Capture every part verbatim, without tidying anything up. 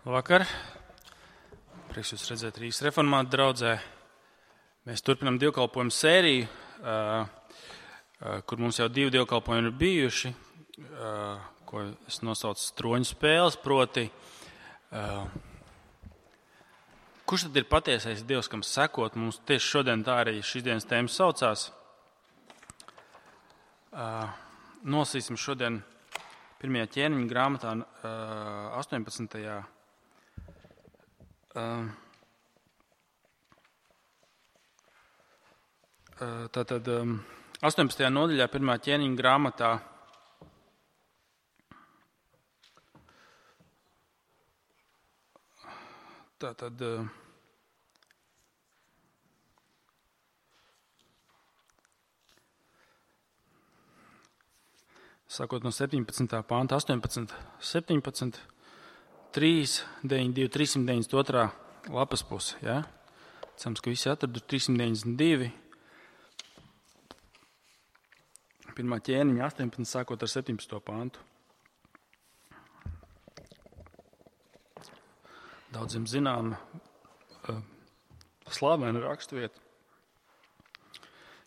Labvakar! Prieks jūs redzēt Rīgas reformātu draudzē. Mēs turpinām dievkalpojumu sēriju, kur mums jau divi dievkalpojumi ir bijuši, ko es nosaucu stroņu spēles, proti. Kurš tad ir patiesais Dievs, kam sekot? Mums tieši šodien tā arī šīs dienas tēma saucās. Nolasīsim šodien pirmajā ķēniņa grāmatā astoņpadsmitajā Tātad astoņpadsmitajā nodaļā pirmā ķēniņa grāmatā tātad sākot no septiņpadsmitā panta, astoņpadsmit, septiņpadsmit, trīs, deviņi, divi, trīssimt deviņdesmit otrā lapas puse, ja? Cerams, ka visi atradu trīssimt deviņdesmit divi. Pirmā ķēniņa astoņpadsmit, sākot ar septiņpadsmito pantu. Daudziem zinām uh, slāvēna rakstvieta.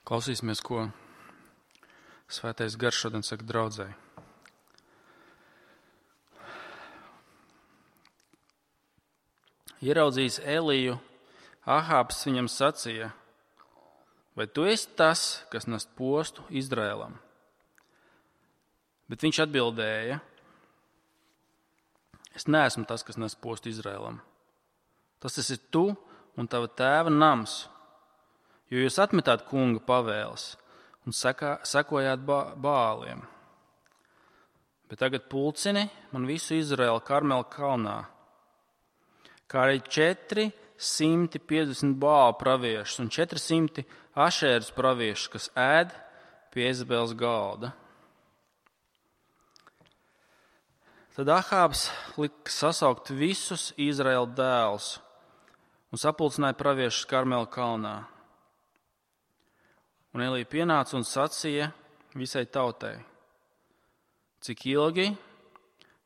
Klausīsimies, ko Svētais Gars šodien saka draudzei. Ieraudzījis Eliju, Ahābs viņam sacīja: vai tu esi tas, kas nes postu Izraēlam? Bet viņš atbildēja: es neesmu tas, kas nes postu Izraēlam. Tas esi tu un tava tēva nams, jo jūs atmetāt kunga pavēles un sekā, sekojāt bā, bāliem. Bet tagad pulcini man visu Izraēlu Karmela kalnā, kā arī četri simti piecdesmit bālu praviešus un četri simti ašērus praviešus, kas ēd pie Jēzabeles galda. Tad Ahābs lika sasaukt visus Izraēla dēlus un sapulcināja praviešus Karmela kalnā. Un Elija pienāca un sacīja visai tautai: cik ilgi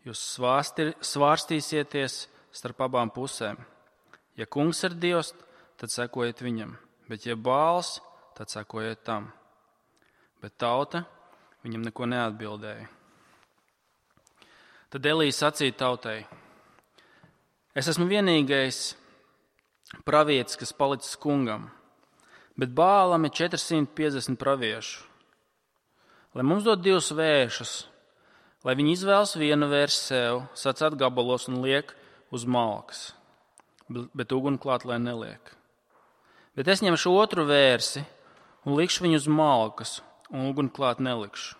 jūs svārstir, svārstīsieties starp abām pusēm? Ja kungs ir Dievs, tad sekojiet viņam, bet ja Bāls, tad sekojiet tam. Bet tauta viņam neko neatbildēja. Tad Elija sacīja tautai: es esmu vienīgais pravietis, kas palicis kungam, bet Bālam ir četri simti piecdesmit praviešu. Lai mums dod divus vēršus, lai viņi izvēlas vienu vērsi sev, sacēt gabalos un liek uz malkas, bet uguni klāt lai neliek. Bet es ņemšu otru vērsi un likšu viņu uz malkas, un uguni klāt nelikšu.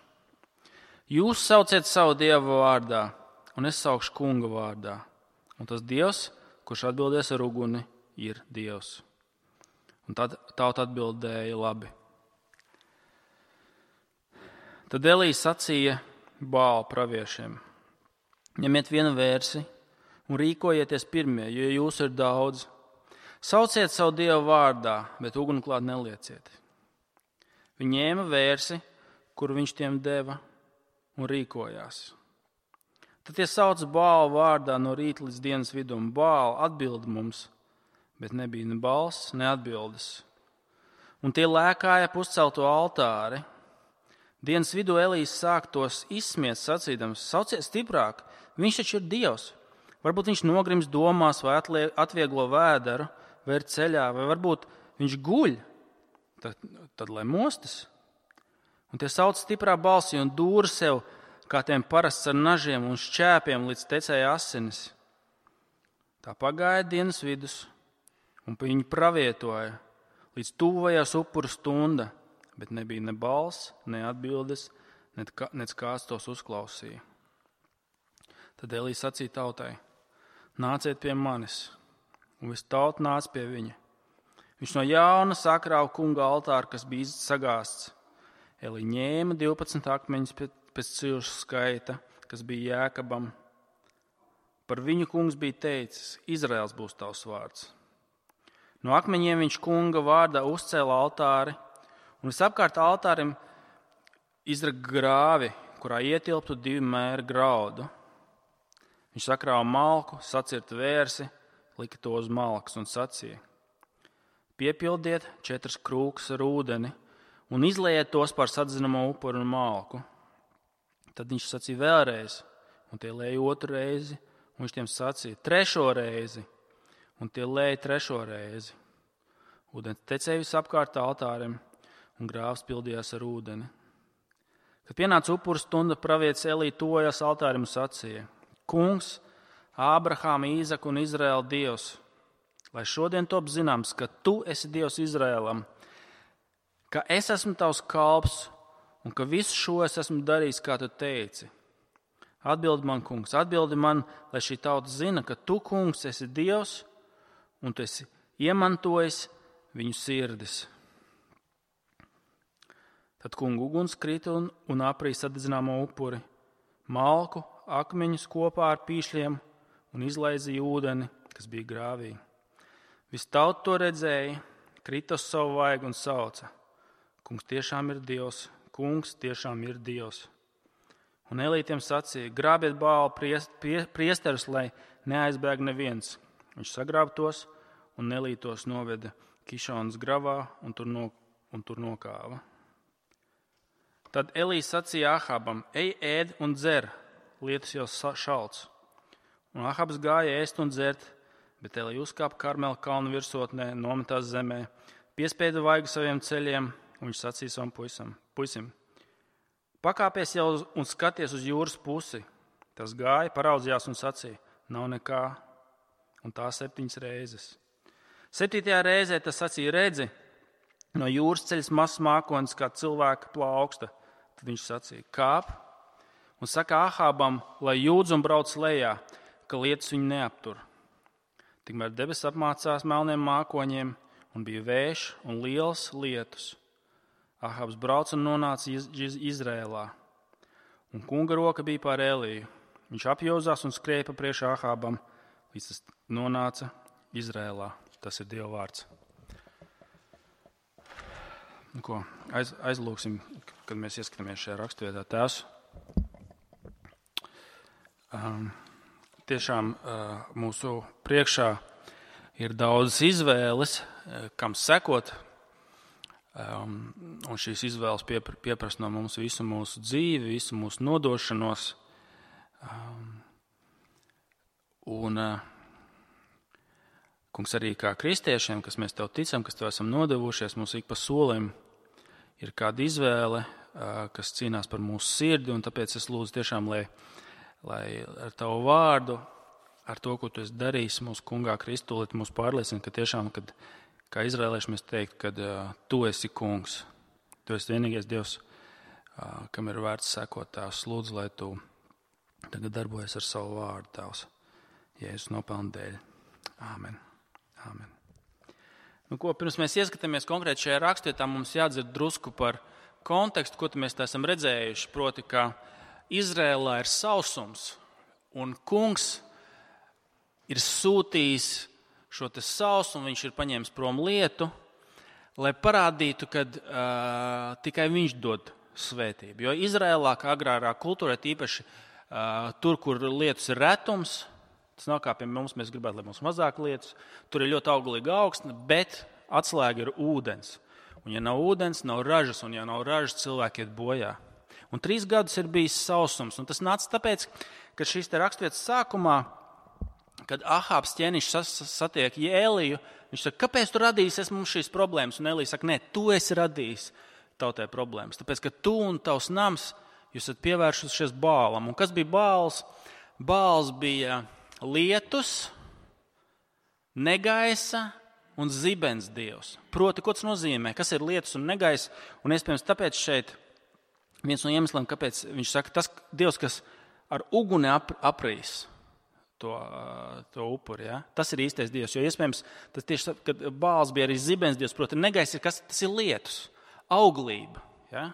Jūs sauciet savu dievu vārdā, un es saukšu kunga vārdā. Un tas Dievs, kurš atbildēs ar uguni, ir Dievs. Un tad tauta atbildēja labi. Tad Elija sacīja Bāla praviešiem: ņemiet vienu vērsi un rīkojieties pirmie, jo jūs ir daudz. Sauciet savu dievu vārdā, bet uguni klāt nelieciet. Viņi ņēma vērsi, kuru viņš tiem deva, un rīkojās. Tad tie sauc Bāla vārdā no rīta līdz dienas vidum. Bāla atbild mums, bet nebija ne balss, ne atbildes. Un tie lēkāja puscelto altāri. Dienas vidū Elijas sāk tos izsmiet, sacīdams: sauciet stiprāk, viņš taču ir Dievs. Varbūt viņš nogrims domās vai atvieglo vēderu, vai ir ceļā, vai varbūt viņš guļ, tad, tad lai mostas. Un tie sauc stiprā balsī un dūra sev, kā tiem parasts ar nažiem un šķēpiem, līdz tecēja asinis. Tā pagāja dienas vidus, un viņi pravietoja, līdz tuvojās upuru stunda, bet nebija ne balss, ne atbildes, nec kāds tos uzklausīja. Tad Elija sacīja tautai: nāciet pie manis, un viss tauta nāca pie viņa. Viņš no jauna sakrāva kunga altāru, kas bija sagāsts. Elija ņēma divpadsmit akmeņus pēc cilšu skaita, kas bija Jēkabam. Par viņu kungs bija teicis: Izraels būs tavs vārds. No akmeņiem viņš kunga vārdā uzcēla altāri, un visapkārt altārim izraga grāvi, kurā ietilptu divi mēri graudu. Viņš sakrāva malku, sacirta vērsi, lika to uz malkas un sacīja: piepildiet četras krūkas ar ūdeni un izliejiet tos par sadzinamo upuru un malku. Tad viņš sacīja vēlreiz, un tie lēja otru reizi, un viņš tiem sacīja trešo reizi, un tie lēja trešo reizi. Ūdens tecēja visapkārt altārim, un grāvs pildījās ar ūdeni. Kad pienāca upuru stunda, pravietis Elī tojās altārim un sacīja: Kungs, Ābrahāma, Īzaka un Izraēla Dievs, lai šodien top zināms, ka tu esi Dievs Izraēlam, ka es esmu tavs kalps un ka visu šo es esmu darījis, kā tu teici. Atbildi man, kungs, atbildi man, lai šī tauta zina, ka tu, kungs, esi Dievs un tu esi iemantojis viņu sirdis. Tad kungu uguns krita un, un aprīja sadedzināmo upuri, malku, akmeņus kopā ar pīšļiem un izlaizīja ūdeni, kas bija grāvī. Viss tauta to redzēja, krita uz savu vaigu un sauca: Kungs tiešām ir Dievs, kungs tiešām ir Dievs. Un Elītiem sacīja: grābiet Bāla priest, prie, priesterus, lai neaizbēg neviens. Viņš sagrāba tos un Elītos noveda Kišonas gravā un tur, no, un tur nokāva. Tad Elīs sacīja Ahabam: ej, ēd un dzer, lietus jau šalts. Un Ahabs gāja ēst un dzert, bet Elī uzkāpa Karmela kalnu virsotnē, nometās zemē, piespieda vaigu saviem ceļiem, un viņš sacīja savam puisim: puisim, pakāpies jau un skaties uz jūras pusi. Tas gāja, paraudzījās un sacīja: nav nekā, un tā septiņas reizes. Septītajā reizē tas sacīja: redzi, no jūras ceļas mazs mākonis, kā cilvēka plauksta. Tad viņš sacīja: kāp un saka Ahabam, lai jūdz un brauc lejā, ka lietus viņu neaptur. Tikmēr debesis apmācās melniem mākoņiem, un bija vējš un liels lietus. Ahabs brauca un nonāca iz, iz, Izrēlā, un kunga roka bija pār Eliju. Viņš apjozās un skrēja pa priekšu Ahabam, līdz tas nonāca Izrēlā. Tas ir Dieva vārds. Nu, ko, aiz, aizlūksim, kad mēs ieskatāmies šajā raksturvietā. Tēvs, um, tiešām uh, mūsu priekšā ir daudzas izvēles, uh, kam sekot, um, un šīs izvēles piepr- pieprasa no mums visu mūsu dzīvi, visu mūsu nodošanos. Um, un, uh, kungs, arī kā kristiešiem, kas mēs tev ticam, kas tev esam nodevušies, mums ik pa solim ir kāda izvēle, kas cīnās par mūsu sirdi, un tāpēc es lūdzu tiešām, lai, lai ar tavu vārdu, ar to, ko tu esi darījis mūsu kungā Kristū, lai tu mūs pārliecini, ka tiešām, kad, kā izrēlieši mēs teikt, kad uh, tu esi kungs, tu esi vienīgais Dievs, uh, kam ir vērts sekot. Tēvs, lūdzu, lai tu tagad darbojies ar savu vārdu, Tēvs, Jēzus nopelnu dēļ. Āmen. Āmen. Nu, ko, pirms mēs ieskatāmies konkrēti šajā rakstvietā, mums jādzird drusku par kontekstu, ko mēs tā esam redzējuši. Proti, ka Izrēlā ir sausums, un kungs ir sūtījis šo te sausumu, viņš ir paņēmis prom lietu, lai parādītu, ka uh, tikai viņš dod svētību. Jo Izrēlā, kā agrārā kultūrā, tīpaši uh, tur, kur lietus ir retums, tas nav kā pie mums, mēs gribētu, lai mums mazāk lietus. Tur ir ļoti auglīga augsne, bet atslēga ir ūdens. Un ja nav ūdens, nav ražas, un ja nav ražas, cilvēki iet bojā. Un trīs gadus ir bijis sausums. Un tas nāca tāpēc, ka šīs te raksturvietas sākumā, kad Ahabs ķēniņš satiek Eliju, viņš saka, kāpēc tu radīsies mums šīs problēmas? Un Elija saka, nē, tu esi radījis tautai problēmas. Tāpēc, ka tu un tavs nams, jūs esat pievēršušies Bālam. Un kas bija Bāls? Bāls bija lietus, negaisa un zibens dievs. Proti, ko tas nozīmē? Kas ir lietus un negaisa? Un iespējams tāpēc šeit viens no iemesliem, kāpēc viņš saka, tas dievs, kas ar uguni ap, aprīs to, to upuri. Ja? Tas ir īstais dievs. Jo iespējams, tas tieši, kad Bāls bija arī zibens dievs, proti, negaisa ir kas? Tas ir lietus, auglība. Ja?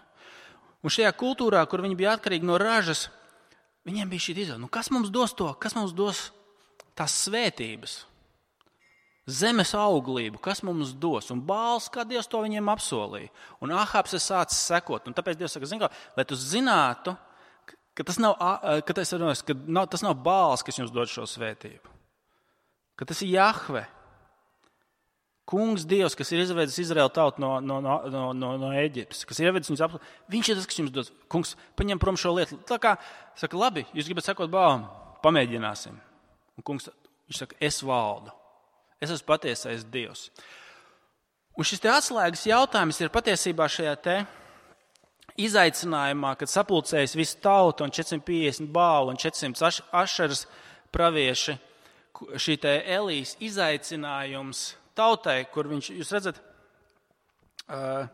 Un šajā kultūrā, kur viņi bija atkarīgi no ražas, viņiem bija šī izvēle, nu kas mums dos to, kas mums dos tās svētības, zemes auglību, kas mums dos. Un Bāls, kā Dievs to viņiem apsolīja. Un Ahabs ir sācis sekot. Un tāpēc Dievs saka, zin kā, lai tu zinātu, ka tas nav, ka tas, ka nav, tas nav Bāls, kas jums dod šo svētību. Ka tas ir Jahve. Kungs Dievs, kas ir izvedis Izraēlu tautu no, no, no, no, no Eģiptes, kas ir ievedis viņus apli. Viņš ir tas, kas jums dod. Kungs, paņem prom šo lietu. Tā kā, saka, labi, jūs gribat sekot Bālam, pamēģināsim. Un kungs, viņš saka, es valdu. Es esmu patiesais Dievs. Un šis te atslēgas jautājums ir patiesībā šajā te izaicinājumā, kad sapulcējas visu tautu un četri simt piecdesmit Bālu un četri simt Ašeras pravieši, šī te Elijas izaicinājums tautai, kur viņš, jūs redzat, uh,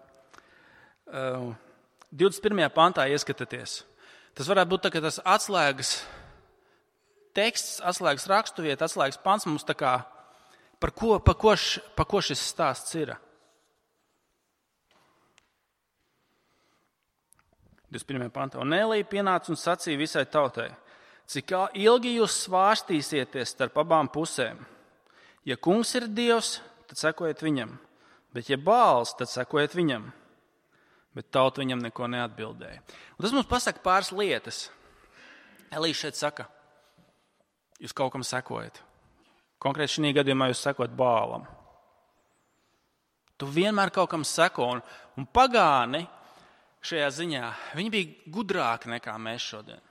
uh, divdesmit pirmajā pantā ieskatāties. Tas varētu būt tā, ka tas atslēgas teksts, atslēgas rakstuvieta, atslēgas pants mums tā kā, par ko, par ko, š, par ko šis stāsts ir. divdesmit pirmajā pantā. Un Elija pienāca un sacīja visai tautai, cik ilgi jūs svārstīsieties starp abām pusēm. Ja kungs ir Dievs, tad sekojiet viņam, bet ja Bāls, tad sekojiet viņam. Bet tauta viņam neko neatbildēja. Un tas mums pasaka pāris lietas. Elija šeit saka, jūs kaut kam sekojat. Konkrēti šī gadījumā jūs sekojat Bālam. Tu vienmēr kaut kam seko, un, un pagāni šajā ziņā, viņi bija gudrāki nekā mēs šodien.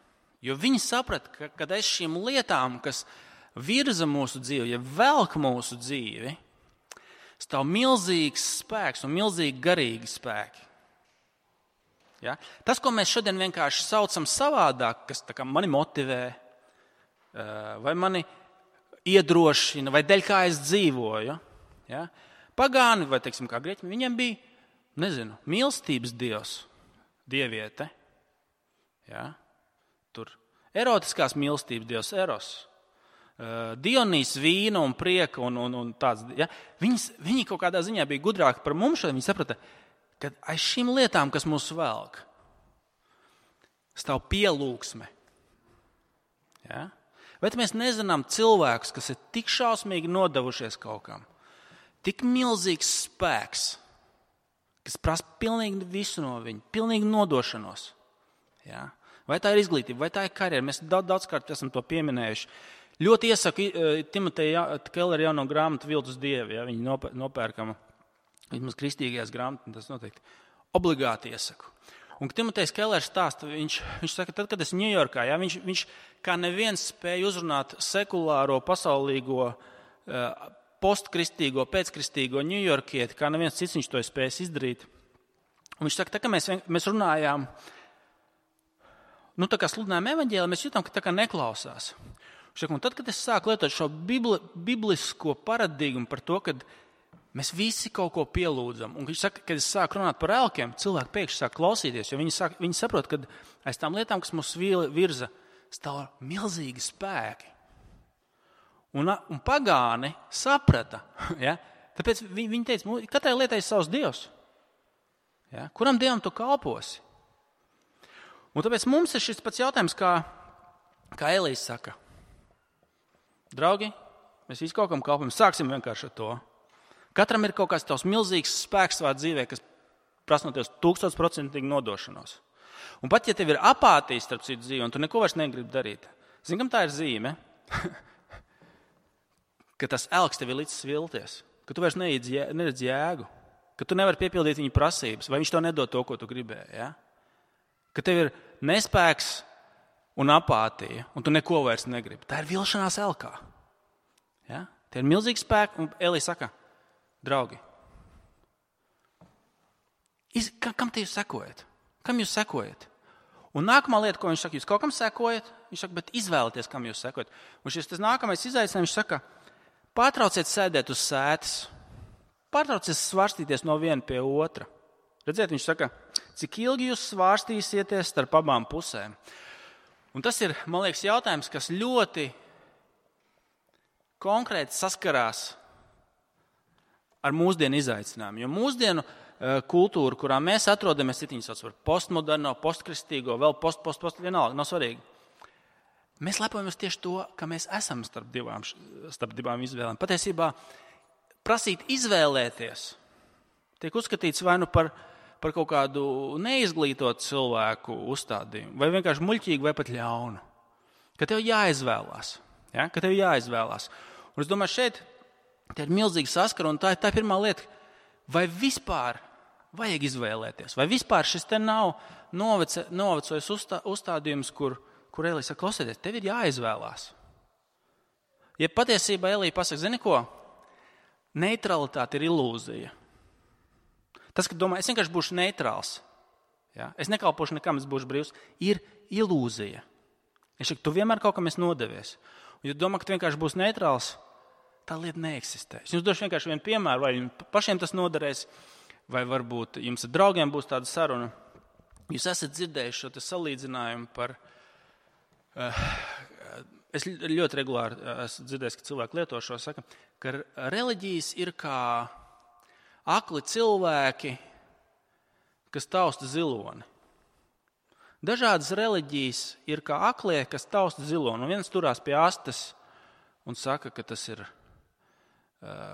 Jo viņi saprata, ka, kad aiz šīm lietām, kas virza mūsu dzīvi, ja velk mūsu dzīvi, stāv milzīgs spēks un milzīgi garīgi spēki. Ja? Tas, ko mēs šodien vienkārši saucam savādāk, kas tā kā mani motivē, vai mani iedrošina, vai dēļ kā es dzīvoju, ja? Pagāni, vai teiksim kā grieķi, viņiem bija, nezinu, mīlestības dievs, dieviete, ja? Tur erotiskās mīlestības dievs, eros. Dionīs vīna un prieka un, un, un tāds. Ja? Viņas, viņi kaut kādā ziņā bija gudrāki par mums, šodien viņi saprata, ka aiz šīm lietām, kas mūs velk, stāv pielūgsme. Ja? Bet mēs nezinām cilvēkus, kas ir tik šausmīgi nodevušies kaut kam, tik milzīgs spēks, kas prasa pilnīgi visu no viņa, pilnīgi nodošanos. Ja? Vai tā ir izglītība, vai tā ir karjera, mēs daudz, daudzkārt esam to pieminējuši. Ļoti iesaku Timoteja Kellera jauno grāmatu Viltus dievi, ja, viņi nopērkama vismaz kristīgajās grāmatās, tas noteikti obligāti iesaku. Un Timotejs Kellers stāsta, viņš, viņš saka, tad, kad es Ņujorkā, ja, viņš, viņš kā neviens spēja uzrunāt sekulāro, pasaulīgo, postkristīgo, pēckristīgo ņujorkieti, kā neviens cits viņš to ir spējis izdarīt. Un viņš saka, tā kā mēs, mēs runājām, nu tā kā sludinājām evaņģēliju, mēs jūtam, ka tā kā neklausās. Un tad, kad es sāku lietot šo bibli, biblisko paradigmu par to, ka mēs visi kaut ko pielūdzam, un viņš saka, kad es sāku runāt par elkiem, cilvēki pēkšņi sāk klausīties, jo viņi, sāk, viņi saprot, ka aiz tām lietām, kas mūs virza, stāv milzīgi spēki. Un, un pagāni saprata, ja? Tāpēc viņi, viņi teica, katrai lietai ir savs dievs. Ja? Kuram dievam tu kalposi? Un tāpēc mums ir šis pats jautājums, kā, kā Elijas saka. Draugi, mēs visi kaut kam kalpojam. Sāksim vienkārši ar to. Katram ir kaut kāds tavs milzīgs spēks savā dzīvē, kas prasa no tevis tūkstošprocentīgi nodošanos. Un pat, ja tev ir apātija starp citu dzīvi, un tu neko vairs negribi darīt, zini, kam tā ir zīme? Ka tas elks tev ir līdz svilties, ka tu vairs neredz jēgu, ka tu nevari piepildīt viņa prasības, vai viņš tev nedod to, ko tu gribēji. Ja? Ka tev ir nespēks un apātija, un tu neko vairs negribi. Tā ir vilšanās elkā. Ja? Tie ir milzīgi spēki, un Elija saka, draugi, iz, kam te jūs sekojat? Kam jūs sekojat? Un nākamā lieta, ko viņš saka, jūs kaut kam sekojat? Viņš saka, bet izvēlieties, kam jūs sekojat. Un šis tas nākamais izaicinājums, viņš saka, pārtrauciet sēdēt uz sētas, pārtrauciet svārstīties no viena pie otra. Redziet, viņš saka, cik ilgi jūs svārstīsieties starp abām pusēm. Un tas ir, man liekas, jautājums, kas ļoti konkrēti saskarās ar mūsdienu izaicinājumu. Jo mūsdienu kultūru, kurā mēs atrodamies, ir viņas sauc par postmoderno, postkristīgo, vēl post, post, post, vienalga, nav svarīgi. Mēs lepojamies tieši to, ka mēs esam starp divām, starp divām izvēlēm. Patiesībā prasīt izvēlēties tiek uzskatīts vai nu par, par kaut kādu neizglītotu cilvēku uzstādījumu, vai vienkārši muļķīgu, vai pat ļaunu. Ka tev jāizvēlās. Ja? Ka tev jāizvēlās. Un es domāju, šeit te ir milzīga saskara, un tā ir tā pirmā lieta, vai vispār vajag izvēlēties, vai vispār šis te nav novece, novecojis uzstā, uzstādījums, kur, kur Elija saka, klausieties, tev ir jāizvēlās. Ja patiesībā Elija pasaka, zini ko? Neutralitāte ir ilūzija. Tas, ka domā, es vienkārši būšu neitrāls, ja? Es nekalpošu nekam, es būšu brīvs, ir ilūzija. Es saku, tu vienmēr kaut kam esi nodevies. Un, ja domā, ka tu vienkārši būsi neitrāls, tā lieta neeksistē. Es jums došu vienkārši vienu piemēru, vai jums pašiem tas noderēs, vai varbūt jums ar draugiem būs tāda saruna. Jūs esat dzirdējuši šo salīdzinājumu par... Uh, es ļoti regulāri esmu dzirdējis, ka cilvēki lieto šo, saka, ka reliģijas ir kā akli cilvēki, kas tausta ziloni. Dažādas reliģijas ir kā aklie, kas tausta ziloni. Un viens turās pie astes un saka, ka tas ir,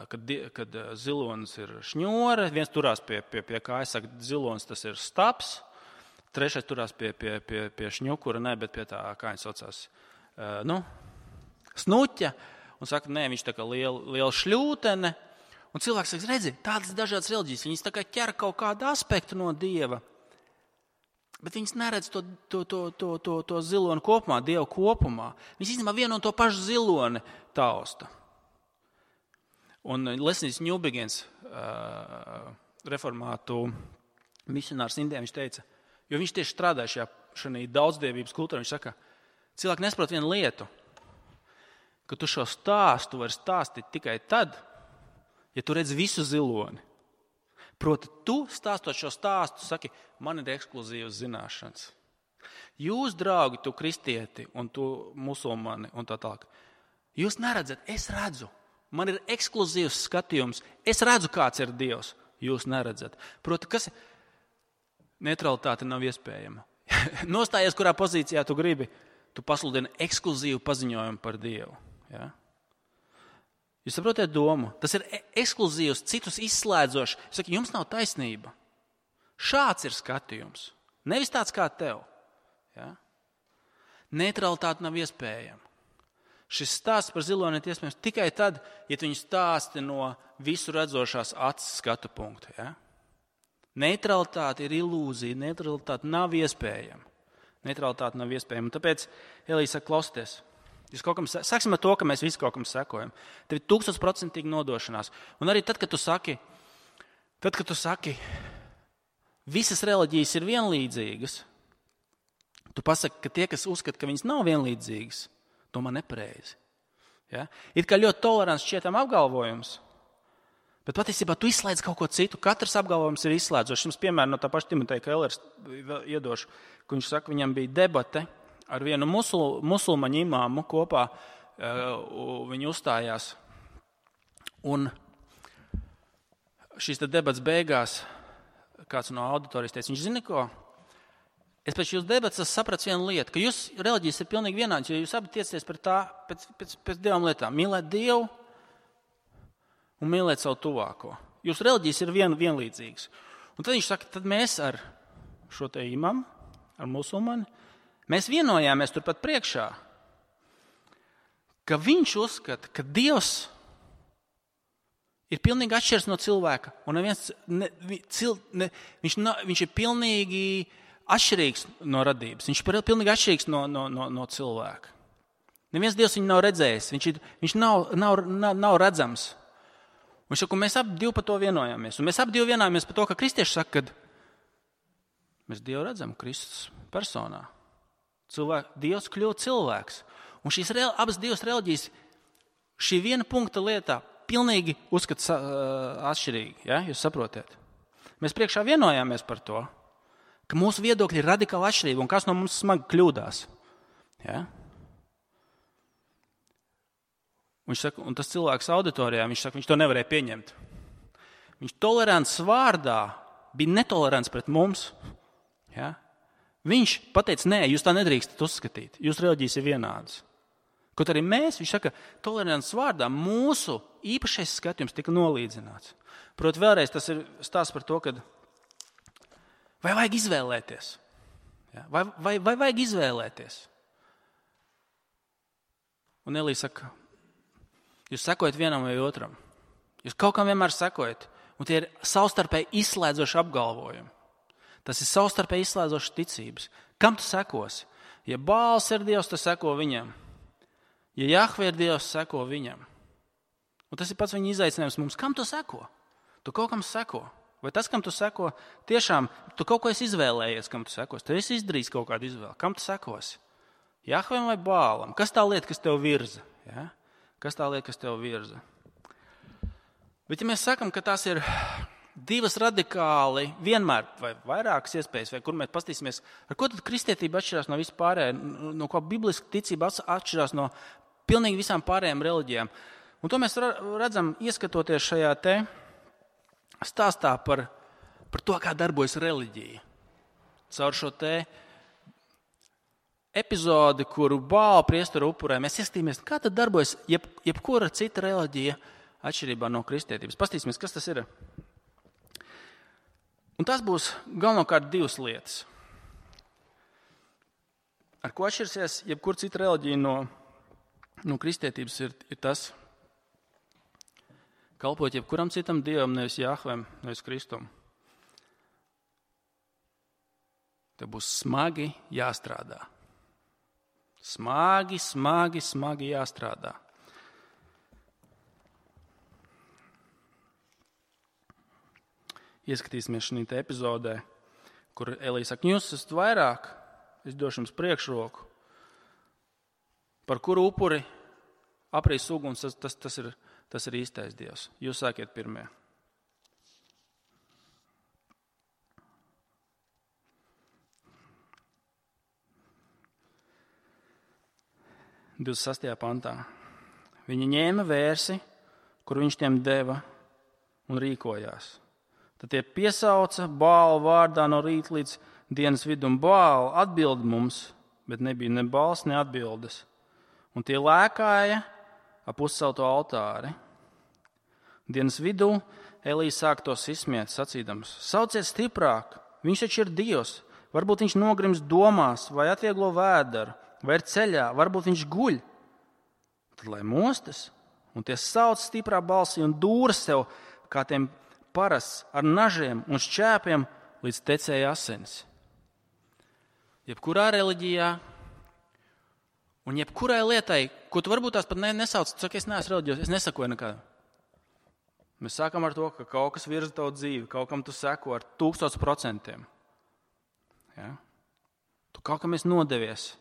kad, kad zilonis ir šņore, viens turās pie, pie, pie kājas, saka, zilonis tas ir staps, trešais turās pie, pie, pie, pie šņukura, ne, bet pie tā, kā viņš saucās, nu, snuķa, un saka, nē, viņš tā kā liela, liela šļūtene. Un cilvēks saka, redzi, tādas dažādas reliģijas, viņas tā kā ķer kaut kādu aspektu no Dieva, bet viņas neredz to, to, to, to, to, to ziloni kopumā, Dievu kopumā. Viņas īstenībā vienu un to pašu ziloni tausta. Un Lesnijs Ņūbigens, uh, reformātu misionārs Indijā, viņš teica, jo viņš tieši strādāja šajā, šajā daudzdievības kultūrā, viņš saka, cilvēki nesaprot vienu lietu, ka tu šo stāstu vari stāstīt tikai tad, ja tu redz visu ziloni. Proti, tu stāstot šo stāstu, saki, man ir ekskluzīvas zināšanas. Jūs, draugi, tu kristieti un tu musulmani un tā tālāk, jūs neredzat, es redzu. Man ir ekskluzīvs skatījums, es redzu, kāds ir Dievs. Jūs neredzat. Proti, kas neutralitāte nav iespējama. Nostājies, kurā pozīcijā tu gribi, tu pasludini ekskluzīvu paziņojumu par Dievu. Ja? Jūs saprotat domu? Tas ir ekskluzīvs, citus izslēdzošs. Es saku, jums nav taisnība. Šāds ir skatījums. Nevis tāds kā tev. Ja? Neutralitāte nav iespējama. Šis stāsts par ziloni ir iespējams tikai tad, ja tu viņu stāsti no visu redzošās acis skatu punkta. Ja? Neutralitāte ir ilūzija, neutralitāte nav iespējama. Neutralitāte nav iespējama. Tāpēc Elija saka, klausieties, jūs kaut kam, sāksim ar to, ka mēs visi kaut kam sekojam. Tev ir tūkstošprocentīgi nodošanās. Un arī tad, kad tu saki, tad, kad tu saki, visas reliģijas ir vienlīdzīgas, tu pasaki, ka tie, kas uzskata, ka viņas nav vienlīdzīgas, domā nepareizi. Ja? Ir kā ļoti tolerants šķietam apgalvojums, bet patiesībā tu izslēdz kaut ko citu. Katrs apgalvojums ir izslēdzošs. Jums piemēram no tā paša Timoteja Kellers iedošu, ka viņš saka, viņam bija debate ar vienu musul, musulmaņu imāmu kopā, uh, viņi uzstājās. Un šīs debats beigās kāds no auditorijas teica, viņš zina ko? Es pēc jūsu debatas sapratu vienu lietu, ka jūs reliģijas ir pilnīgi vienāds, jo jūs abi tiecaties par tā, pēc, pēc, pēc divām lietām. Mīlēt Dievu un mīlēt savu tuvāko. Jūsu reliģijas ir vien, vienlīdzīgas. Un tad viņš saka, tad mēs ar šo te imamu, ar musulmani, mēs vienojāmies turpat priekšā, ka viņš uzskata, ka Dievs ir pilnīgi atšķirs no cilvēka. Un neviens, ne, cil, ne, viņš, no, viņš ir pilnīgi atšķirīgs no radības. Viņš ir pilnīgi atšķirīgs no, no, no, no cilvēka. Neviens Dievs viņu nav redzējis. Viņš, ir, viņš nav, nav, nav, nav redzams. Un šak, un mēs ap divi par to vienojāmies. Un mēs ap divi vienojāmies par to, ka kristieši saka, ka mēs Dievu redzam Kristus personā. Cilvēk, Dievs kļūst cilvēks. Un šīs re, abas divas reliģijas šī viena punkta lietā pilnīgi uzskata uh, atšķirīgi. Ja? Jūs saprotiet? Mēs priekšā vienojāmies par to, ka mūsu viedokļi ir radikāli atšķirīgi un kas no mums smagi kļūdās. Ja? Viņš saka, un tas cilvēks auditorijā, viņš saka, viņš to nevarēja pieņemt. Viņš tolerants vārdā bija netolerants pret mums. Ja? Viņš pateica, nē, jūs tā nedrīkstat uzskatīt. Jūs reliģijas ir vienādas. Kaut arī mēs, viņš saka, tolerants vārdā mūsu īpašais skatījums tika nolīdzināts. Proti vēlreiz tas ir stāsts par to, kad Vai vajag izvēlēties? Ja? Vai, vai, vai vajag izvēlēties? Un Elija saka, jūs sekojat vienam vai otram. Jūs kaut kam vienmēr sekojat. Un tie ir savstarpēji izslēdzoši apgalvojumi. Tas ir savstarpēji izslēdzoši ticības. Kam tu sekosi? Ja Bāls ir Dievs, tu seko viņam. Ja Jahve ir Dievs, seko viņam. Un tas ir pats viņa izaicinājums mums. Kam tu seko? Tu kaut kam seko. Vai tas, kam tu seko, tiešām tu kaut ko esi izvēlējies, kam tu sekos? Tu esi izdarījis kaut kādu izvēli. Kam tu sekosi? Jahvem vai Bālam? Kas tā lieta, kas tev virza? Ja? Kas tā lieta, kas tev virza? Bet ja mēs sakam, ka tās ir divas radikāli, vienmēr vai vairākas iespējas, vai kur mēs pastīsimies, ar ko tad kristietība atšķirās no vispārējā, no ko bibliska ticība atšķirās no pilnīgi visām pārējām reliģijām. Un to mēs redzam, ieskatoties šajā te stāstā par, par to, kā darbojas reliģija. Caur šo te epizodi, kuru Bāla priestara upurē, mēs ieskatīsimies, kā tad darbojas jeb, jebkura cita reliģija atšķirībā no kristietības. Pastīsimies, kas tas ir. Un tas būs galvenokārt divas lietas. Ar ko atšķirsies jebkura cita reliģija no, no kristietības ir, ir tas, kalpot jebkuram citam dievam, nevis Jahvem, nevis Kristum. Te būs smagi jāstrādā. Smagi, smagi, smagi jāstrādā. Ieskatīsimies šī epizodē, kur Elija saka, jūs esat vairāk, es došu jums priekšroku, par kuru upuri aprīs uguns, tas, tas, tas, ir, tas ir īstais Dievs. Jūs sākiet pirmie. divdesmit sastajā pantā. Viņi ņēma vērsi, kur viņš tiem deva un rīkojās. Tad tie piesauca Bālu vārdā no rīta līdz dienas vidum. Bālu atbild mums, bet nebija ne balss, ne atbildes. Un tie lēkāja ap uzcelto altāri. Dienas vidū Elija sāk tos izsmiet, sacīdams, sauciet stiprāk, viņš taču ir Dievs. Varbūt viņš nogrims domās, vai atvieglo vēderu, vai ir ceļā, varbūt viņš guļ. Tad lai mostas, un tie sauc stiprā balsī un dūra sev, kā tiem parasts ar nažiem un šķēpiem līdz tecēja asins. Jebkurā reliģijā un jebkurai lietai, ko tu varbūt tās pat nesauc, tu saki, es neesmu reliģijos, es nesakoju nekādu. Mēs sākam ar to, ka kaut kas virza tavu dzīvi, kaut kam tu seko ar tūkstots procentiem. Ja? Tu kaut kam esi nodevies.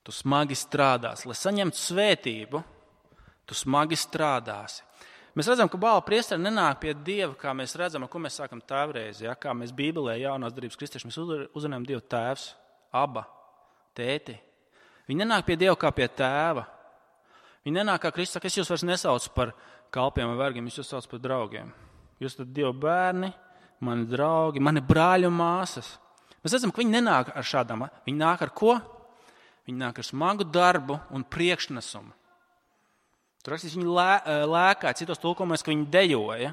Tu smagi strādāsi. Lai saņemtu svētību, tu smagi strādāsi. Mēs redzam, ka Bāla priesteri nenāk pie Dieva, kā mēs redzam, ar ko mēs sākam tēvreizi. Ja? Kā mēs Bībelē jaunās darbības kristieši, mēs uzrunājam Dievu tēvs, aba, tēti. Viņi nenāk pie Dieva kā pie tēva. Viņi nenāk kā Kristus saka, es jūs vairs nesaucu par kalpiem vai vergiem, es jūs saucu par draugiem. Jūs esat Dieva bērni, mani draugi, mani brāļi un māsas. Mēs redzam, ka viņi nenāk ar šādām. Viņi nāk ar ko? Viņi nāk ar smagu darbu un priekšnesumu. Tur rakstīs, viņi lē, lēkā, citos tulkomos, ka viņi dejoja,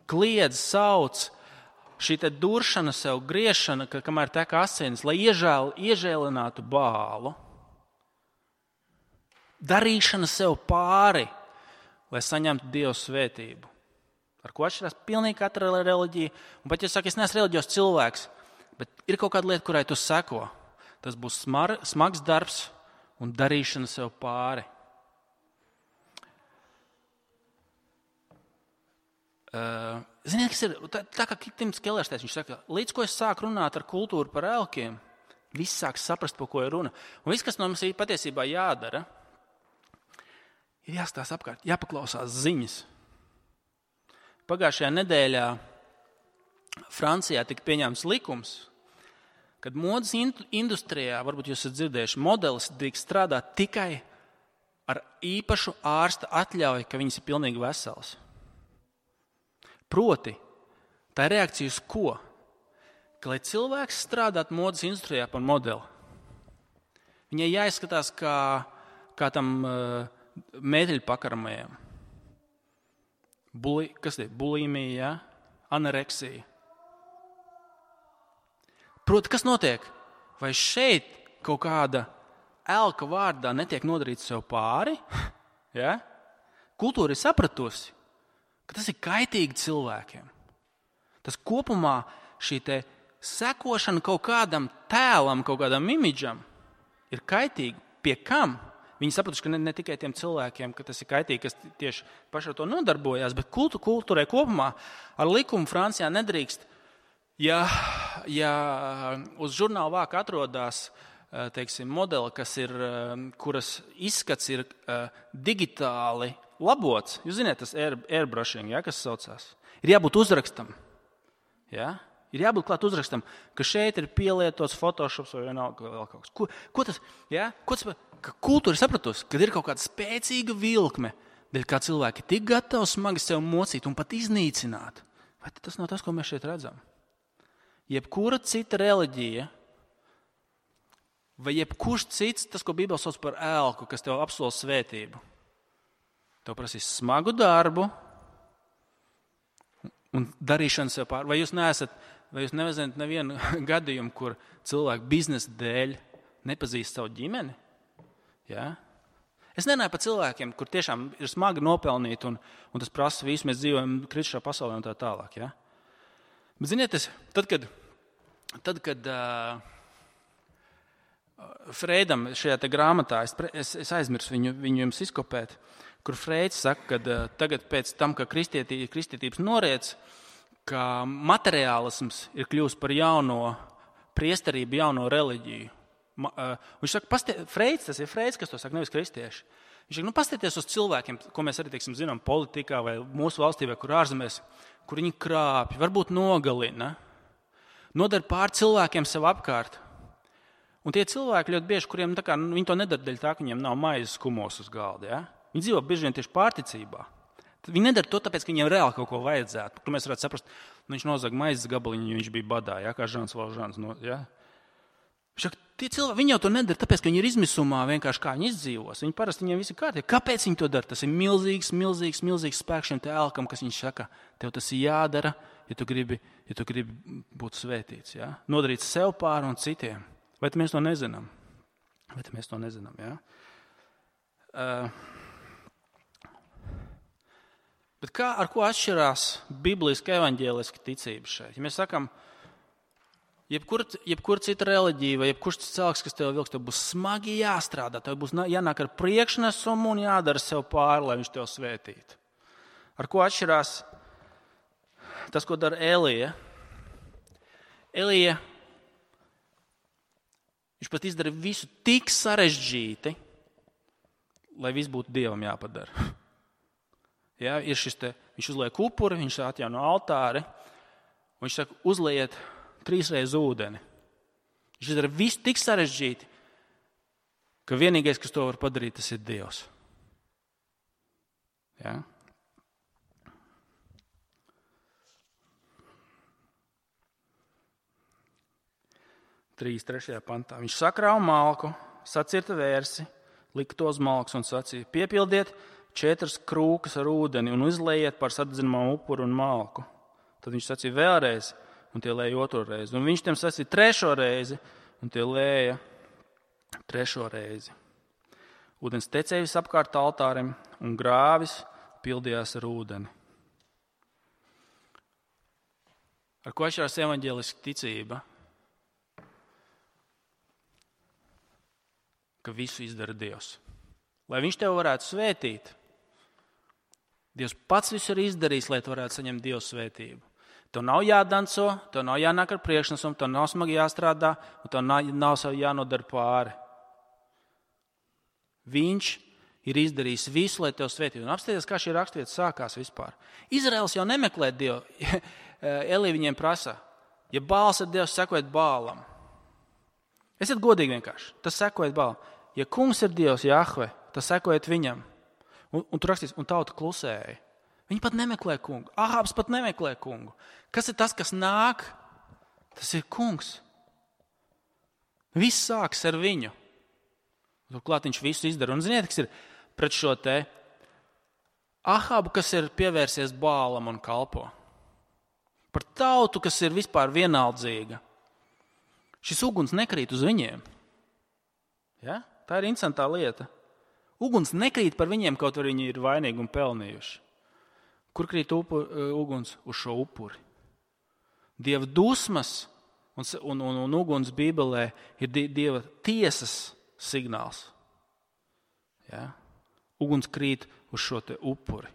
kliedz, sauc, šī te duršana sev, griešana, ka, kamēr tek asinis, lai iežēl, iežēlinātu Bālu, darīšana sev pāri, lai saņemtu Dievu svētību. Ar ko atšķirās pilnīgi katra reliģija, un pat ja saka, es neesmu reliģijos cilvēks, bet ir kaut kāda lieta, kurai tu seko, tas būs smar, smags darbs un darīšana sev pāri. Uh, ziniet, kas ir, tā, tā kā Tims Kellers teica, viņš saka, līdz ko es sāku runāt ar kultūru par elkiem, viss sāk saprast, par ko ir runa. Un viss, kas no mums ir patiesībā jādara, ir jāstās apkārt, jāpaklausās ziņas. Pagājušajā nedēļā Francijā tika pieņemts likums, kad modes industrijā, varbūt jūs esat dzirdējuši, modelis drīkst strādāt tikai ar īpašu ārsta atļauju, ka viņas ir pilnīgi vesels. Proti, tā ir reakcija uz ko? Ka, lai cilvēks strādātu modes industrijā par modeli, viņai jāizskatās kā, kā tam uh, mēteļu pakaramajam. Buli, kas ir? Bulimija, ja? Anoreksija. Proti, kas notiek? Vai šeit kaut kāda elka vārdā netiek nodarīts sev pāri? Ja? Kultūra ir sapratusi, ka tas ir kaitīgi cilvēkiem. Tas kopumā šī te sekošana kaut kādam tēlam, kaut kādam imidžam ir kaitīgi. Pie kam? Viņi sapratuši, ka ne, ne tikai tiem cilvēkiem, ka tas ir kaitīgi, kas tieši paši ar to nodarbojās, bet kultu, kultūrai kopumā ar likumu Francijā nedrīkst, ja, ja uz žurnāla vāka atrodas teiksim, modeli, kas ir, kuras izskats ir uh, digitāli labots. Jūs zināt, tas air, airbrushing, ja, kas saucās. Ir jābūt uzrakstam. Ja? Ir jābūt klāt uzrakstam, ka šeit ir pielietots Photoshops vai vienalga vēl kaut kas. Ko, ko tas, ja? Ko tas, ka kultūra ir sapratusi, kad ir kaut kāda spēcīga vilkme, dēļ kā cilvēki tik gatavi smagi sev mocīt un pat iznīcināt. Vai tas nav tas, ko mēs šeit redzam? Jebkura cita reliģija, vai jebkurš cits, tas, ko Bībele sauc par elku, kas tev apsola svētību, tev prasīs smagu darbu un darīšanu sev pār. Vai jūs neesat, vai jūs nezināt nevienu gadījumu, kur cilvēki biznesa dēļ nepazīst savu ģimeni? Ja? Es nenāju par cilvēkiem, kur tiešām ir smagi nopelnīt un, un tas prasa visu, mēs dzīvojam kritušā pasaulē un tā tālāk. Ja? Bet ziniet, es, tad, kad, tad, kad uh, Freidam šajā te grāmatā, es, es, es aizmirsu viņu, viņu jums izkopēt, kur Freids saka, ka uh, tagad pēc tam, ka kristietī, kristietības noriec, ka materiālisms ir kļūst par jauno priesterību, jauno reliģiju. Ma, uh, viņš saka, pastie, Freids, tas ir Freids, kas to saka, nevis kristieši. Viņš saka, nu pastieties uz cilvēkiem, ko mēs arī teiksim, zinām politikā vai mūsu valstī vai kur ārzemēs, kur viņi krāpj, varbūt nogalina, nodara pār cilvēkiem sev apkārt. Un tie cilvēki ļoti bieži, kuriem tā kā, nu, viņi to nedara dēļ tā, ka viņiem nav maizes kumos uz galda. Ja? Viņi dzīvo bieži vien tieši pārticībā. Viņi nedara to tāpēc, ka viņiem reāli kaut ko vajadzētu. Kur mēs varētu saprast, nu, viņš nozaga maizes gabaliņu, jo viņš bija badā, ja? Kā Žans Valžans. No, ja? Šak, tie cilvēki, viņi jau to nedara tāpēc, ka viņi ir izmisumā vienkārši kā viņi izdzīvos. Viņi parasti viņiem visi kārtīgi. Kāpēc viņi to dara? Tas ir milzīgs, milzīgs, milzīgs spēks šiem te elkam, kas viņš saka, tev tas ir jādara, ja tu gribi, ja tu gribi būt svētīts. Ja? Nodarīt sev pāri un citiem. Vai mēs to nezinām? Vai mēs to nezinām, jā? Uh, bet kā, ar ko atšķirās bibliska evaņģēliska ticība šeit? Ja mēs sakam, jebkur, jebkur cita reliģija vai jebkurš cits cilvēks, kas tev vilks, tev būs smagi jāstrādā, tev būs jānāk ar priekšnesumu un jādara sev pāri, lai viņš tev svētītu. Ar ko atšķirās tas, ko dara Elija? Elija Viņš pat izdara visu tik sarežģīti, lai viss būtu Dievam jāpadara. Ja, ir šis te, viņš uzliek upuri, viņš atjauno altāri, un viņš saka, uzliet trīsreiz ūdeni. Viņš izdara visu tik sarežģīti, ka vienīgais, kas to var padarīt, tas ir Dievs. Ja? trīs trešajā pantā. Viņš sakrāva malku, sacirta vērsi, lika to uz malkas un sacīja, piepildiet četras krūkas ar ūdeni un izlējiet par sadedzinamā upuru un malku. Tad viņš sacīja vēlreiz, un tie lēja otro reizi. Un viņš tiem sacīja trešo reizi, un tie lēja trešo reizi. Ūdens tecēja visapkārt altārim, un grāvis pildījās ar ūdeni. Ar ko atšķirās evaņģēliska ticība? Ka visu izdara Dievs. Lai viņš tev varētu svētīt, Dievs pats visu ir izdarījis, lai tu varētu saņemt Dieva svētību. Tev nav jādanco, tev nav jānāk ar priekšnesumu, tev nav smagi jāstrādā, un tev nav, nav sev jānodara pāri. Viņš ir izdarījis visu, lai tev svētītu. Un apstāties, kā šī rakstvieta sākās vispār. Izraels jau nemeklē Dievu. Elī viņiem prasa, ja Bāls ir Dievs, sekojiet Bālam. Esiet godīgi vienkārši, tas sekojiet Bālam. Ja kungs ir Dievs, Jahve, tas sekojiet viņam. Un, un tur rakstīs, un tauta klusēja. Viņi pat nemeklē kungu. Ahābs pat nemeklē kungu. Kas ir tas, kas nāk? Tas ir kungs. Viss sāks ar viņu. Turklāt viņš visu izdara. Un ziniet, kas ir pret šo te Ahābu, kas ir pievērsies Bālam un kalpo. Par tautu, kas ir vispār vienaldzīga. Šis uguns nekrīt uz viņiem. Ja? Tā ir interesantā lieta. Uguns nekrīt par viņiem, kaut arī viņi ir vainīgi un pelnījuši. Kur krīt upur, uguns? Uz šo upuri. Dieva dusmas un, un, un, un uguns Bībelē ir Dieva tiesas signāls. Ja? Uguns krīt uz šo te upuri.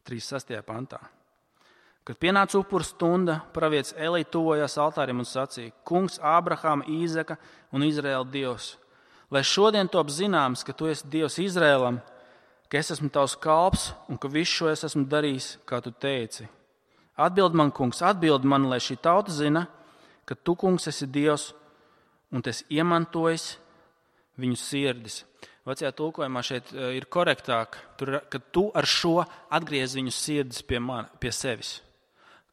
trīsdesmit sestajā pantā. Kad pienāca upura stunda, pravietis Elī tuvojās altārim un sacīja: Kungs, Ābrahāma, Īzaka un Izraēla Dievs, lai šodien top zināms, ka tu esi Dievs Izraēlam, ka es esmu tavs kalps un ka visu šo es esmu darījis, kā tu teici. Atbild man, Kungs, atbild man, lai šī tauta zina, ka tu, Kungs, esi Dievs un tu esi iemantojis viņu sirdis. Vecajā tulkojumā šeit ir korektāk, ka tu ar šo atgriez viņu sirdis pie, man, pie sevis.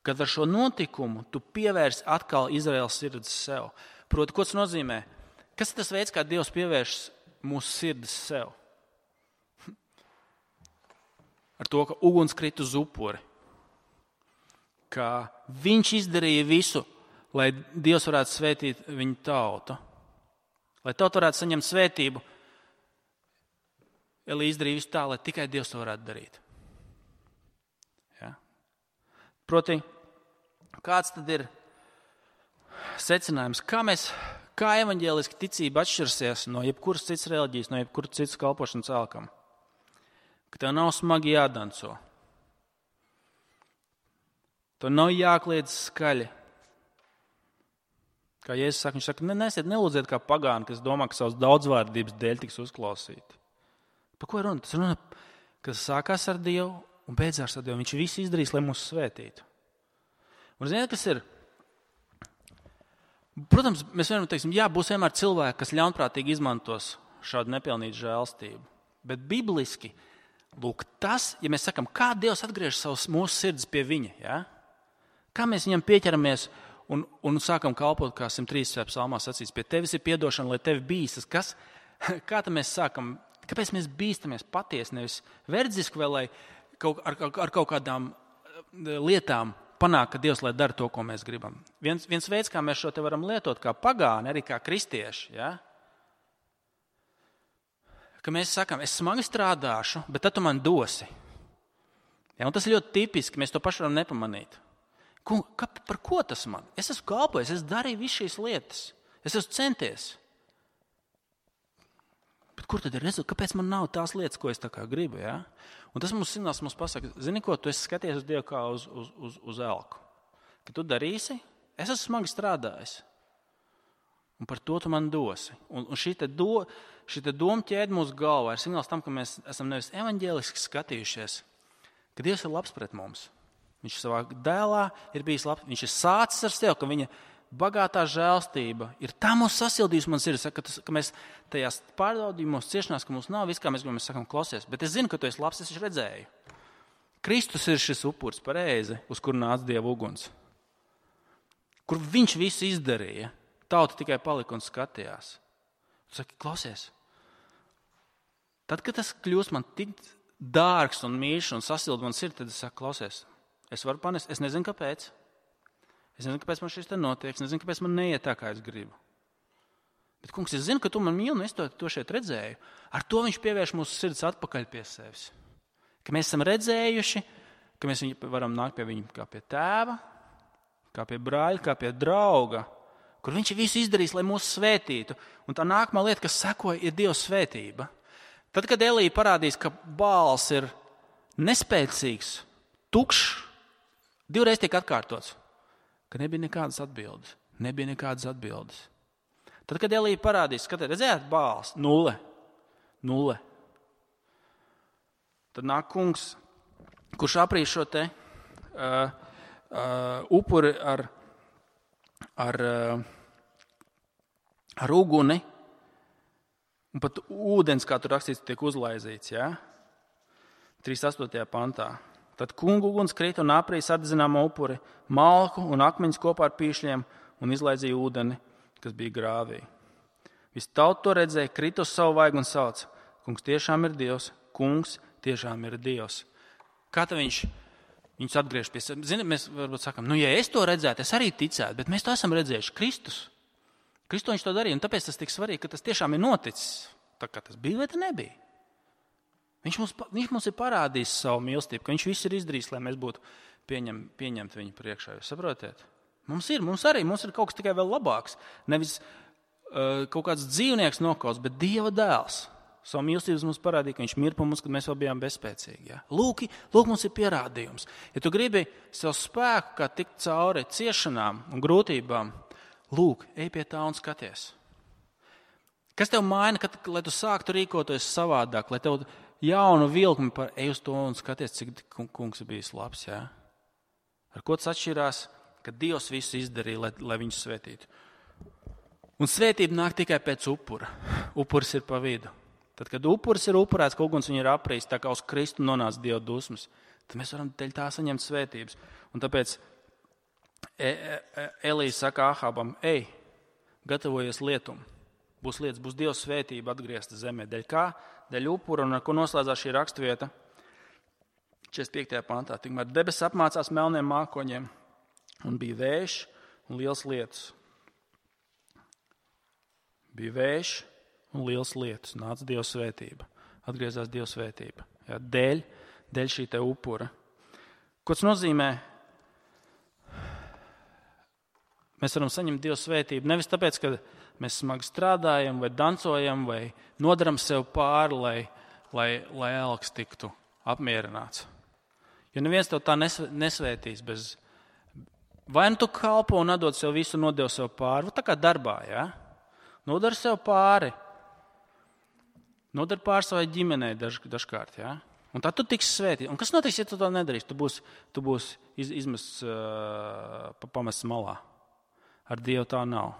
Kad ar šo notikumu tu pievērsi atkal Izraēlas sirdis sev. Proti, ko tas nozīmē? Kas ir tas veids, kā Dievs pievērš mūsu sirdis sev? Ar to, ka uguns krit uz upuri. Ka viņš izdarīja visu, lai Dievs varētu svētīt viņu tautu. Lai tauta varētu saņemt svētību, Elī izdarīja visu tā, lai tikai Dievs to varētu darīt. Ja? Proti, kāds tad ir secinājums? Kā, mēs, kā evaņģēliska ticība atšķirsies no jebkuras citas reliģijas, no jebkuras citas kalpošanas elkam? Ka tev nav smagi jādanco. Tev nav jākliedz skaļi. Kā Jēzus saka, viņš saka, ne, nesiet, nelūdziet kā pagāni, kas domā, ka savas daudzvārdības dēļ tiks uzklausīti. Par ko ir runa? Tas runa, kas sākās ar Dievu un beidzās ar Dievu. Viņš visu izdarīs, lai mūs svētītu. Un ziniet, kas ir? Protams, mēs vienmēr teiksim, jā, būs vienmēr cilvēki, kas ļaunprātīgi izmantos šādu nepilnīgu žēlstību. Bet bibliski, lūk, tas, ja mēs sakam, kā Dievs atgriež savus mūsu sirdis pie viņa, ja? Kā mēs viņam pieķeramies un, un sākam kalpot, kā simt trīsdesmitajā psalmā sacīts, pie tevis ir piedošana, lai tevi bīstas. Kas, kā tad mēs sākam? Kāpēc mēs bīstamies patiesi, nevis verdziski, vai lai kaut, ar, ar kaut kādām lietām panāk, ka Dievs lai dara to, ko mēs gribam? Viens, viens veids, kā mēs šo te varam lietot, kā pagāni, arī kā kristieši, ja? Ka mēs sakam, es smagi strādāšu, bet tad tu man dosi. Ja? Un tas ir ļoti tipiski, mēs to paši varam nepamanīt. Ko, ka, par ko tas man? Es esmu kalpojis, es darīju visu šīs lietas, es esmu centies. Bet kur tad ir rezultāts? Kāpēc man nav tās lietas, ko es tā kā gribu? Ja? Un tas mums signāls mums pasaka, zini ko, tu esi skaties uz Dievu kā uz, uz, uz, uz elku. Kad tu darīsi, es esmu smagi strādājis. Un par to tu man dosi. Un, un šī te, do, šī te doma ķēde mūsu galvā ir signāls tam, ka mēs esam nevis evaņģēliski skatījušies, ka Dievs ir labs pret mums. Viņš savā dēlā ir bijis labs. Viņš ir sācis ar sevi, ka viņa bagātā žēlstība ir tā mūs sasildījusi, man sirds, ka, tas, ka mēs tajās pārbaudījumos, ciešanās, ka mums nav viss, kā mēs gribam, mēs sakam, klausies, bet es zinu, ka tu esi labs, es viņš redzēju. Kristus ir šis upuris pareizi, uz kur nāca Dieva uguns. Kur viņš visu izdarīja, tauta tikai palika un skatījās. Tu saki, klausies, tad, kad tas kļūst man tik dārgs un mīļš un sasilda man sirds, tad es saku, klausies, es varu panest, es nezinu, kāpēc. Es nezinu, kāpēc man šis te notiek, es nezinu, kāpēc man neiet tā, kā es gribu. Bet, kungs, es zinu, ka tu man mīli, un es to, to šeit redzēju. Ar to viņš pievērš mūsu sirds atpakaļ pie sevis. Ka mēs esam redzējuši, ka mēs varam nākt pie viņa kā pie tēva, kā pie brāļa, kā pie drauga, kur viņš visu izdarīs, lai mūs svētītu. Un tā nākamā lieta, kas sekoja, ir Dieva svētība. Tad, kad Elija parādīs, ka Bāls ir nespēcīgs, tukšs, divreiz tiek atkārtots. Ka nebija nekādas atbildes. Nebija nekādas atbildes. Tad, kad Elija parādīs, skatāt, redzējāt, Bāls, nulle, nulle. Tad nāk kungs, kurš aprīš šo te uh, uh, upuri ar, ar, uh, ar uguni, un pat ūdens, kā tur rakstīts, tiek uzlaizīts, ja? trīsdesmit astotajā pantā. Tad kungu uguns krita un aprīs atdedzināmo upuri, malku un akmeņus kopā ar pīšļiem un izlaizīja ūdeni, kas bija grāvī. Viss tauta to redzēja, krita uz savu vaigu un sauca, kungs tiešām ir Dievs, kungs tiešām ir Dievs. Kā tad viņš Viņus atgriež pie sevis. Ziniet, mēs varbūt sakām, nu, ja es to redzētu, es arī ticētu, bet mēs to esam redzējuši. Kristus. Kristus viņš to darīja, un tāpēc tas tik svarīgi, ka tas tiešām ir noticis. Tā kā tas bija vai tas nebija. Viņš mums, viņš mums ir parādījis savu mīlestību, ka viņš visu ir izdarījis, lai mēs būtu pieņem, pieņemti viņu priekšā. Jūs saprotiet? Mums ir, mums arī, mums ir kaut kas tikai vēl labāks. Nevis uh, kaut kāds dzīvnieks nokauts, bet Dieva dēls. Savu mīlestības mums parādīja, ka viņš mir par mums, kad mēs vēl bijām bezspēcīgi. Ja? Lūk, lūk, mums ir pierādījums. Ja tu gribi savu spēku, kā tikt cauri ciešanām un grūtībām, lūk, ej pie tā un skaties. Kas tev maina, kad, lai tu sāktu rīkoties savādāk, lai tev jaunu vilkmi par ej uz to un skaties, cik kungs ir bijis labs. Ja? Ar ko tas atšķirās, ka Dievs visu izdarīja, lai, lai viņus svētītu. Un svētība nāk tikai pēc upura. Upuris ir pa vidu. Tad, kad upuris ir upurēts, ka uguns viņu ir aprīs, tā kā uz Kristu nonāca Dieva dusmas, tad mēs varam teļ tā saņemt svētības. Un tāpēc e, e, Elija saka Ahabam, ej, gatavojies lietum. Būs lietas, būs Dieva svētība atgriezta zemē. Dēļ kā? Dēļ upura, un ar ko noslēdzās šī rakstvieta? četrdesmit piektajā pantā. Tikmēr debesis apmācās melniem mākoņiem, un bija vējš un liels lietus. Bija vējš un liels lietus, nāca Dieva svētība, atgriezās Dieva svētība. Jā, dēļ, dēļ šī te upura. Ko tas nozīmē? Mēs varam saņemt Dieva svētību nevis tāpēc, ka mēs smagi strādājam vai dancojam vai nodaram sev pāri, lai, lai, lai elks tiktu apmierināts. Jo neviens tev tā nesvētīs bez... Vai nu tu kalpo un atdod sev visu, nodod sev pāri, tā kā darbā, jā? Nodar sev pāri. Nodar pār savai ģimenei daž, dažkārt, jā? Un tad tu tiksi svētīt. Un kas notiks, ja tu to nedarīsi? Tu būsi, tu būsi iz, izmests, uh, pamests malā. Ar Dievu tā nav.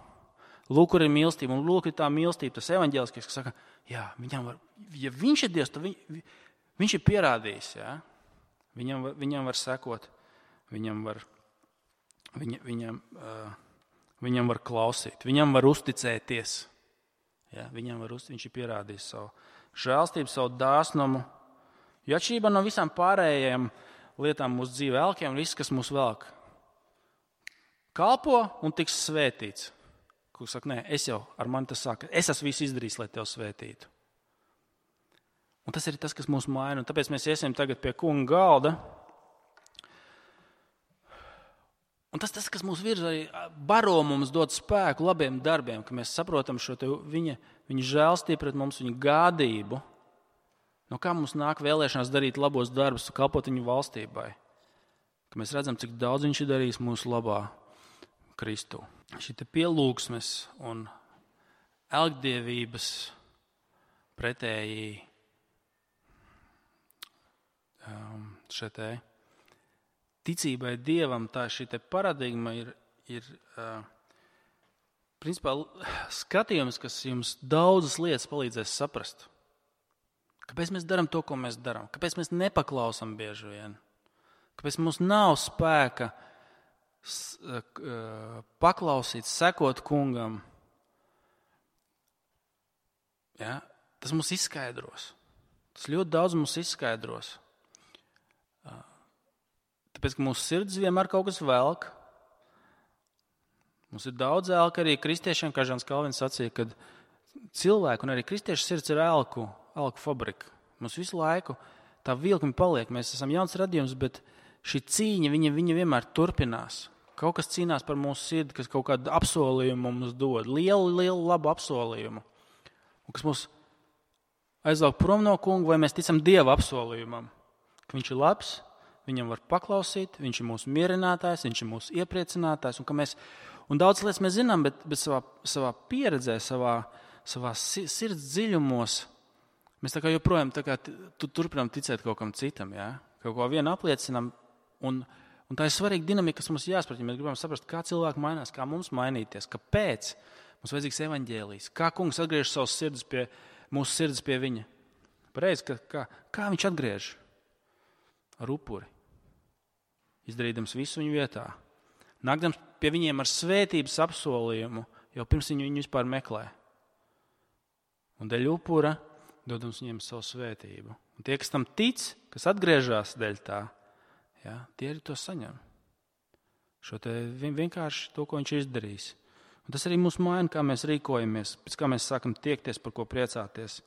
Lūk, kur ir mīlestība, un lūk, ir tā mīlestība, tas evaņģēliskais, kas saka, jā, viņam var, ja viņš ir Dievs, tad viņ, viņš ir pierādījis, jā? Viņam, viņam var sekot, viņam var, viņa, viņam, uh, viņam var klausīt, viņam var uzticēties. Ja, viņam var uzticēt, viņš ir pierādījis savu žēlstību, savu dāsnumu. Jo atšķirībā no visām pārējām lietām mūsu dzīvē, elkiem, viss, kas mūs velk, kalpo un tiks svētīts. Kur saka, nē, es jau ar mani tas saka, es esmu visu izdarījis, lai tev svētītu. Un tas ir tas, kas mūs maina. Un tāpēc mēs iesim tagad pie kunga galda. Un tas, tas, kas mūs virza, arī baro mums dod spēku labiem darbiem, ka mēs saprotam šo te viņa, viņa žēlstību pret mums, viņa gādību. No kā mums nāk vēlēšanās darīt labos darbus, kalpot viņu valstībai. Ka mēs redzam, cik daudz viņš ir darījis mūsu labā Kristu. Šī te pielūgsmes un elgdievības pretēji um, šeit te ticībai Dievam, tā šī te paradigma ir, ir uh, principā skatījums, kas jums daudzas lietas palīdzēs saprast. Kāpēc mēs darām to, ko mēs darām? Kāpēc mēs nepaklausam bieži vien? Kāpēc mums nav spēka s, uh, paklausīt, sekot kungam? Ja? Tas mums izskaidros. Tas ļoti daudz mums izskaidros. Uh, Tāpēc, ka mūsu sirds vienmēr kaut kas velk. Mums ir daudz elka arī kristiešiem, kā Žans Kalvins sacīja, kad cilvēku un arī kristiešu sirds ir elku, elku fabrika. Mums visu laiku tā vilkme paliek. Mēs esam jauns radījums, bet šī cīņa, viņa, viņa vienmēr turpinās. Kaut kas cīnās par mūsu sirdi, kas kaut kādu apsolījumu mums dod. Lielu, lielu, labu apsolījumu. Un kas mūs aizvelk prom no kunga, vai mēs ticam Dieva apsolījumam, ka viņš ir labs, viņam var paklausīt, viņš ir mūsu mierinātājs, viņš ir mūsu iepriecinātājs. Un, mēs, un daudz lietas mēs zinām, bet, bet savā, savā pieredzē, savā, savā sirds dziļumos, mēs tā kā joprojām tā kā tu, turpinām ticēt kaut kam citam, ja? Kaut ko vienu apliecinām. Un, un tā ir svarīga dinamika, kas mums jāsprat, ja mēs gribam saprast, kā cilvēki mainās, kā mums mainīties, kāpēc mums vajadzīgs evaņģēlijs, kā kungs atgriež savus sirdis pie, mūsu sirdis pie viņa. Pareizi, ka, kā, kā viņš atgriež? Ar upuri. Izdarīdams visu viņu vietā. Nākdams pie viņiem ar svētības apsolījumu, jau pirms viņi viņu vispār meklē. Un dēļ upura dodams viņiem savu svētību. Un tie, kas tam tic, kas atgriežās dēļ tā, Ja? Tie arī to saņem. Šo te vienkārši to, ko viņš ir izdarījis. Un tas arī mūs maina, kā mēs rīkojamies, pēc kā mēs sākam tiekties, par ko priecāties.